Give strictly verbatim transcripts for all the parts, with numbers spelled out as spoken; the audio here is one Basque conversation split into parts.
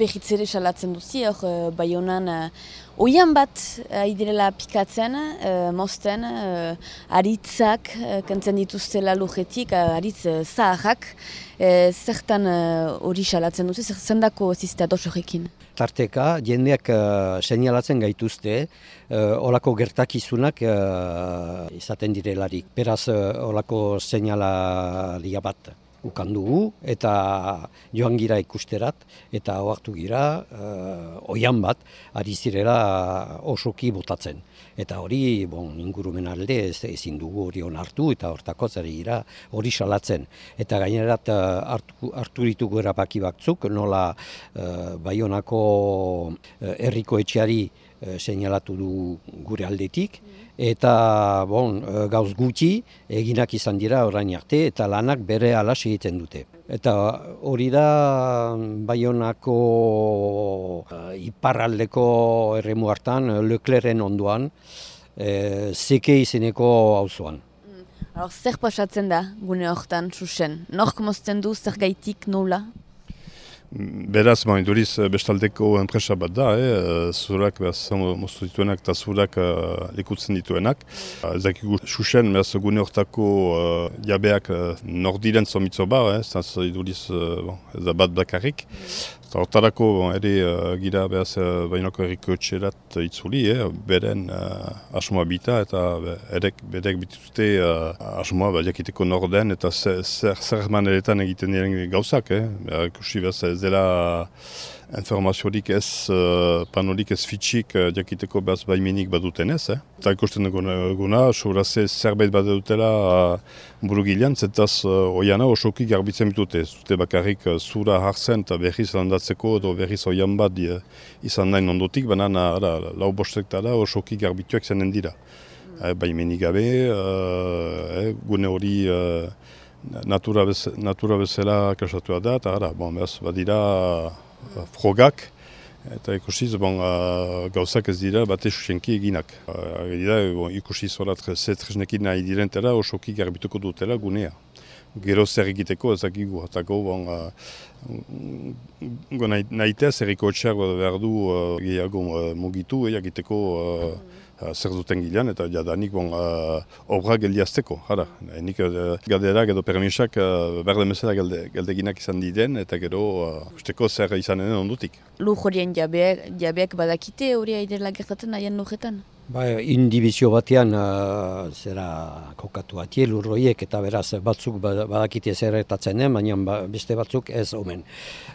behitzere salatzen duzi, hor Baionan oian bat idirela pikatzen, mozten, aritzak kentzen dituztela lujetik, aritz zaharrak, zertan hori salatzen duzi, zendako zizte ados horrekin? Tarteka, jendeak uh, seinalatzen gaituzte, uh, olako gertakizunak uh, izaten direlarik. Beraz, uh, olako seinalaria bat ukan dugu, eta joan gira ikusterat, eta ohartu gira, uh, oian bat, ari zirela osoki botatzen. Eta hori, bon, ingurumen alde ez, ezin dugu hori onartu, eta hortako ari gira hori salatzen. Eta gainerat hartu, hartu ditugu erabaki batzuk, nola uh, Baionako uh, herriko etxeari uh, seinalatu du gure aldetik, eta bon, gauz gutxi eginak izan dira orain arte, eta lanak bere alas egiten dute. Eta hori da Baionako uh, iparraldeko erremu hartan, Leclerren ondoan, uh, Zeke izeneko auzoan. Mm. Zer pasatzen da gune hortan, Xuxen? Nork mozten du, zer gaitik, nola? Beraz, ba, induriz bestaldeko enpresa bat da, eh? Zurak moztu dituenak eta zurak uh, lekutzen dituenak. Ez dakigu Xuxen, beraz gune hortako uh, jabeak uh, nordiren zomitzo ba, eh? Zaz induriz uh, bon, ez da bat bakarrik. Eta hortarako bon, ere uh, gira beraz uh, Baionako herriko etxerat itzuli, eh? Beren uh, asmoa bita eta erek bedek bituzte uh, asmoa ba, jakiteko norden eta zer, zer maneretan egiten diren gauzak. Eh? Ikusi beraz ez dela informaziorik ez, uh, panolik ez fitxik uh, jakiteko behaz baimenik baduten ez. Eh? Eta ikusten duguna, sobraz zerbait bat dutela uh, burugilean, zetaz uh, oiana osoki garbitzen bitute. Zute bakarrik uh, zura hartzen eta berriz landatzeko edo berriz oian bat uh, izan nahi ondotik, banan uh, lau bostektara osoki garbituak zenen dira. Mm. Uh, baimenik gabe, uh, eh, gune hori uh, Natura, bez, natura bezala kasatua da, eta ara, bon, behaz, badira uh, frogak, eta ikusiz, bon, uh, gauzak ez dira bate susenki eginak. Uh, dira, bon, ikusiz horat zetresnekin nahi direntela, osoki garbituko dutela gunea. Gero zer egiteko ezakigu, hatako, bon, uh, nahitez, erriko etxeak behar du uh, gehiago uh, mugitu, egiteko uh, zer duten gilean, eta jadanik bon, uh, obra geldiazteko. Hara, nik uh, galderak edo permisak uh, berde mesela galde, galdeginak izan diren, eta gero uh, usteko zer izanen ondutik. Lur horien jabeak, jabeak badakite hori aidela gertatzen haien lurretan? Ba, indibizio batean uh, zera kokatu atie lurroiek eta beraz batzuk badakite zerretatzen den, baina ba, beste batzuk ez omen.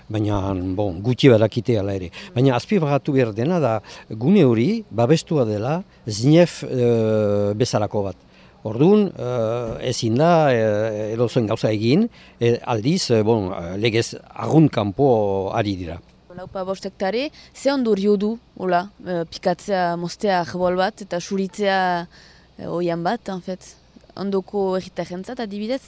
Baina bon, gutxi badakite ala ere. Baina azpimarratu behar dena da gune hori babestua dela zinef uh, bezalako bat. Orduan, uh, ezin da uh, edozen gauza egin, e, aldiz uh, bon, legez argun kanpo ari dira. Laupa bostektare, ze ondorio du, hola, e, pikatzea moztea jebol bat eta suritzea e, oian bat, en fet, ondoko egitarentzat adibidez?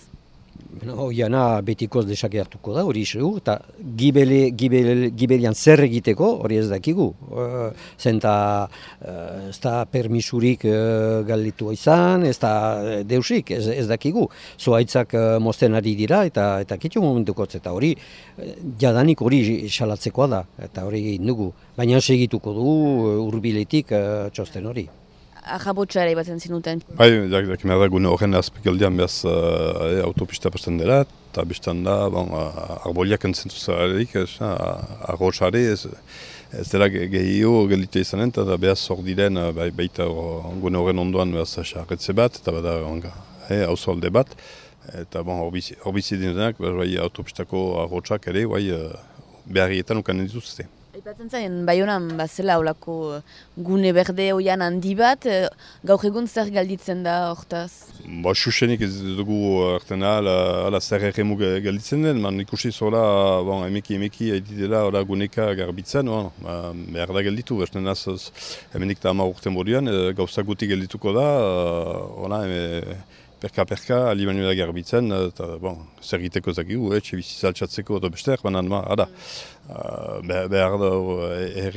No, oiana betikoz desake hartuko da, hori isu, eta gibele, gibele, gibelian zer egiteko, hori ez dakigu. Uh, zenta uh, ez da permisurik uh, galditua izan, ez da deusik, ez, ez dakigu. Zoaitzak uh, mozten ari dira, eta eta kitxo momentukotz, eta hori jadanik hori salatzekoa da, eta hori egin dugu. Baina segituko du hurbiletik uh, txosten hori. Ajabotxara ibatzen zinuten. Bai, dakimera da gune horren azpikaldian behaz uh, autopista pasten dela, eta bestan da, bon, uh, arboliak entzentu zararik, arroxare, ez, ez dela gehiago gelite izanen, eta behaz hor diren, uh, bai, baita gune horren ondoan behaz xarretze bat, eta bada hauzo alde bat, eta bon, hor bizi dinenak, bai, autopistako arroxak ere, bai, uh, beharrietan ukanen dituzte. Aipatzen zain, Baionan bazela olako gune berde oian handi bat, gaur egun zer galditzen da hortaz? Ba, Xuxenik ez dugu artena ala zer erremu galditzen den, man ikusi zola, bon, emeki emeki editela ola guneka garbitzen, bon, ba, behar da galditu, bestean az, hemenik eta ama urten boduan, gauza guti galdituko da, ola, perka-perka, alimanuela garbitzen, eta, bon, zer egiteko zakigu, etxe bizitza altxatzeko edo besteak, banan, ma, ada. Uh, behar da,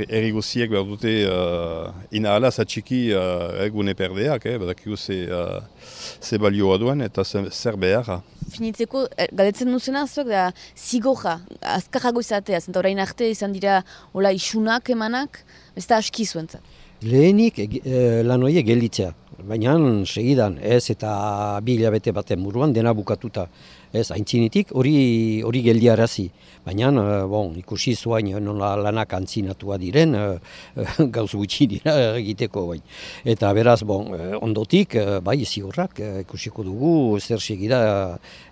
erri guziek behar dute uh, inahala zatxiki uh, egune perdeak, eh, badakigu ze, uh, ze balioa duen eta ze, zer behar. Finitzeko, galdetzen duzena zuek da zigorra, azkarrago izatea, zenta orain arte izan dira hola isunak emanak, ez da aski zuentzat. Lehenik e, lan horiek gelditzea, baina segidan ez eta bi hilabete baten buruan dena bukatuta. Ez, aintzinitik hori hori geldiarazi, baina bon, ikusi zuain nola lanak antzinatua diren, gauz gutxi dira egiteko bain. Eta beraz, bon, ondotik, bai, ziurrak ikusiko dugu zer segida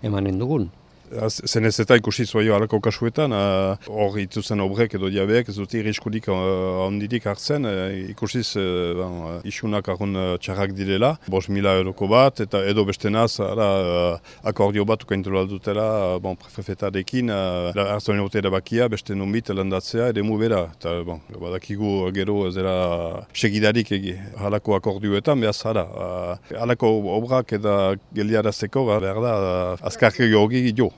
emanen dugun. Zenez eta ikusi zuaio halako kasuetan, hor uh, ituzen obrek edo diabeek, ez dute iriskurik ondirik uh, hartzen, uh, ikusiz uh, bon, uh, isunak argun uh, txarrak direla, bos mila euroko bat, eta edo bestenaz ara, uh, akordio bat ukaintu dutela uh, bon, prefetarekin, uh, hartzen egote erabakia, beste nunbit landatzea, ere mu bera. Eta bon, badakigu gero zera segidarik egi, halako akordioetan, behaz hara. Uh, halako obrak eta geldiarazteko, behar da, uh, azkarke georgi jo.